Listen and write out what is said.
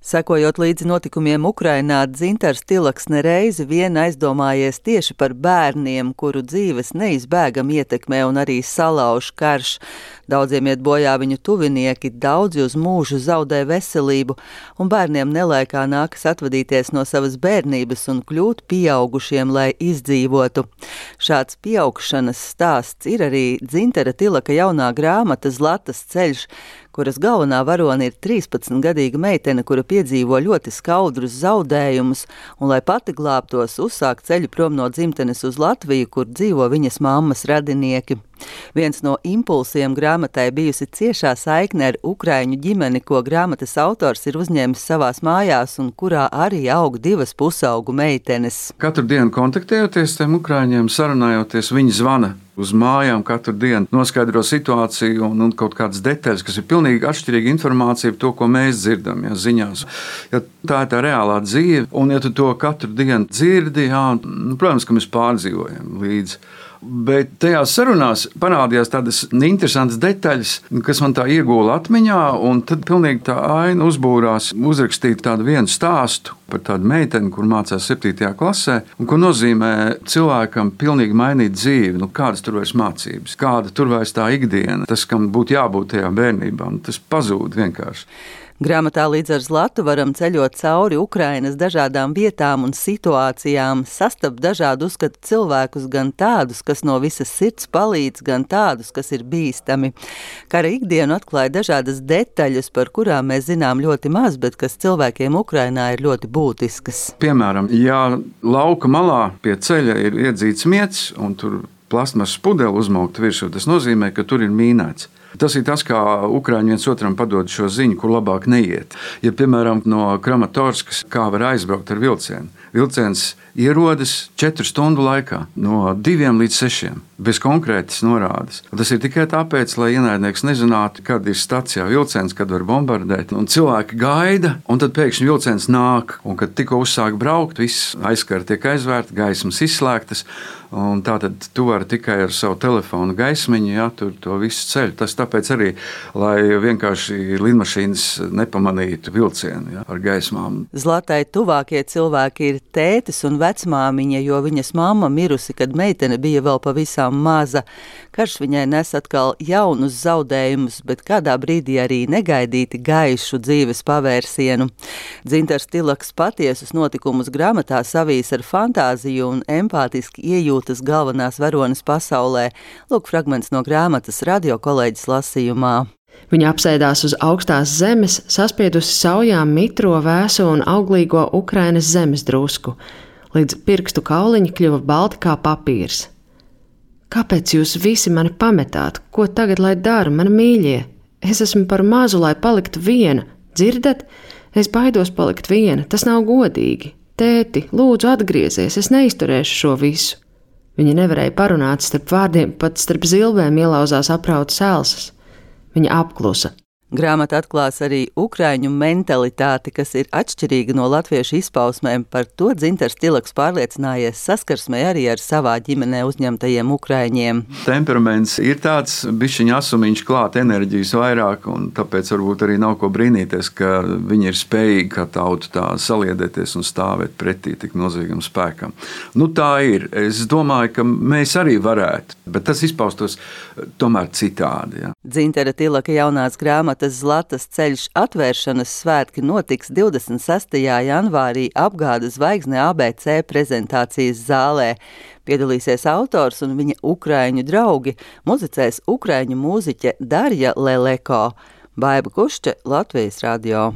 Sekojot līdzi notikumiem Ukrainā, Dzintars Tilaks nereizi vien aizdomājies tieši par bērniem, kuru dzīves neizbēgami ietekmē un arī salauž karš. Daudziem iet bojā viņu tuvinieki, daudzi uz mūžu zaudē veselību, un bērniem nelaikā nākas atvadīties no savas bērnības un kļūt pieaugušiem, lai izdzīvotu. Šāds pieaugšanas stāsts ir arī Dzintara Tilaka jaunā grāmata Zlatas ceļš, kuras galvenā varone ir 13-gadīga meitene, kura piedzīvo ļoti skaudrus zaudējumus, un, lai pati glābtos, uzsāk ceļu prom no dzimtenes uz Latviju, kur dzīvo viņas mammas radinieki. Viens no impulsiem grāmatai bijusi ciešā saikne ar ukraiņu ģimeni, ko grāmatas autors ir uzņēmis savās mājās un kurā arī aug divas pusaugu meitenes. Katru dienu kontaktējoties tiem ukraiņiem, sarunājoties, viņi zvana uz mājām katru dienu, noskaidro situāciju un kaut kādas detaļas, kas ir pilnīgi atšķirīga informācija par to, ko mēs dzirdam, ziņās. Ja tā ir tā reālā dzīve, un ja tu to katru dienu dzirdi, protams, ka mēs pārdzīvojam līdzi. Bet tajās sarunās parādījās tādas interesantas detaļas, kas man tā iegūla atmiņā, un tad pilnīgi tā aina uzbūrās uzrakstīt tādu vienu stāstu par tādu meiteni, kur mācās 7. klasē, un ko nozīmē cilvēkam pilnīgi mainīt dzīvi, kādas tur vairs mācības, kāda tur vairs tā ikdiena, tas, kam būtu jābūt tajā bērnībā, un tas pazūd vienkārši. Grāmatā līdz ar Zlatu varam ceļot cauri Ukrainas dažādām vietām un situācijām, sastapt dažādu uzskatu cilvēkus, gan tādus, kas no visas sirds palīdz, gan tādus, kas ir bīstami. Kara ikdienu atklāja dažādas detaļas, par kurām mēs zinām ļoti maz, bet kas cilvēkiem Ukrainā ir ļoti būtiskas. Piemēram, ja lauka malā pie ceļa ir iedzīts miets un tur plastmasas pudele uzmaukt virsū, tas nozīmē, ka tur ir mīnēts. Tas ir tas, kā Ukraiņi viens otram padod šo ziņu, kur labāk neiet. Ja, piemēram, no Kramatorskas kā var aizbraukt ar vilcienu. Vilciens ierodas 4 stundu laikā, no 2 līdz 6, bez konkrētas norādes. Tas ir tikai tāpēc, lai ienaidnieks nezinātu, kad ir stacijā vilciens, kad var bombardēt. Un cilvēki gaida, un tad pēkšņi vilciens nāk. Un, kad tikko uzsāk braukt, viss aizskara tiek aizvērta, gaismas izslēgtas. Un tātad tu vari tikai ar savu telefonu gaismiņu, tur to visu ceļu. Tas tāpēc arī, lai vienkārši lidmašīnas nepamanītu vilcienu ar gaismām. Zlatai tuvākie cilvēki ir tētis un vecmāmiņa, jo viņas mamma mirusi, kad meitene bija vēl pavisam maza. Karš viņai nes atkal jaunus zaudējumus, bet kādā brīdī arī negaidīti gaišu dzīves pavērsienu. Dzintars Tilaks patiesus notikumus grāmatā savīs ar fantāziju un empātiski iejūtas galvenās varonas pasaulē. Lūk fragments no grāmatas radio kolēģis lasījumā. Viņa apsēdās uz augstās zemes, saspiedusi saujām mitro, vēso un auglīgo Ukrainas zemes drusku, līdz pirkstu kauliņi kļuva balti kā papīrs. Kāpēc jūs visi mani pametāt? Ko tagad lai daru, mani mīļie? Es esmu par mazu, lai paliktu viena. Dzirdat? Es baidos palikt viena, tas nav godīgi. Tēti, lūdzu atgriezies, es neizturēšu šo visu. Viņa nevarēja parunāt starp vārdiem, pat starp zilbēm ielauzās aprautas elsas. Viņa apklusa. Grāmata atklās arī ukraiņu mentalitāti, kas ir atšķirīga no latviešu izpausmēm. Par to Dzintars Tilaks pārliecinājies saskarsmē arī ar savā ģimenē uzņemtajiem ukraiņiem. Temperaments ir tāds bišķiņa asumiņš klāt, enerģijas vairāk, un tāpēc varbūt arī nav ko brīnīties, ka viņi ir spējīgi kā tauta tā saliedēties un stāvēt pretī tik milzīgam spēkam. Tā ir. Es domāju, ka mēs arī varētu, bet tas izpaustos tomēr citādi. Dzintara Tilaka jaunās grāmatas Zlatas ceļš atvēršanas svētki notiks 26. janvārī Apgāda zvaigzne ABC prezentācijas zālē. Piedalīsies autors un viņa ukraiņu draugi, muzicēs ukraiņu mūziķe Darja Leleko. Baiba Kušče, Latvijas radio.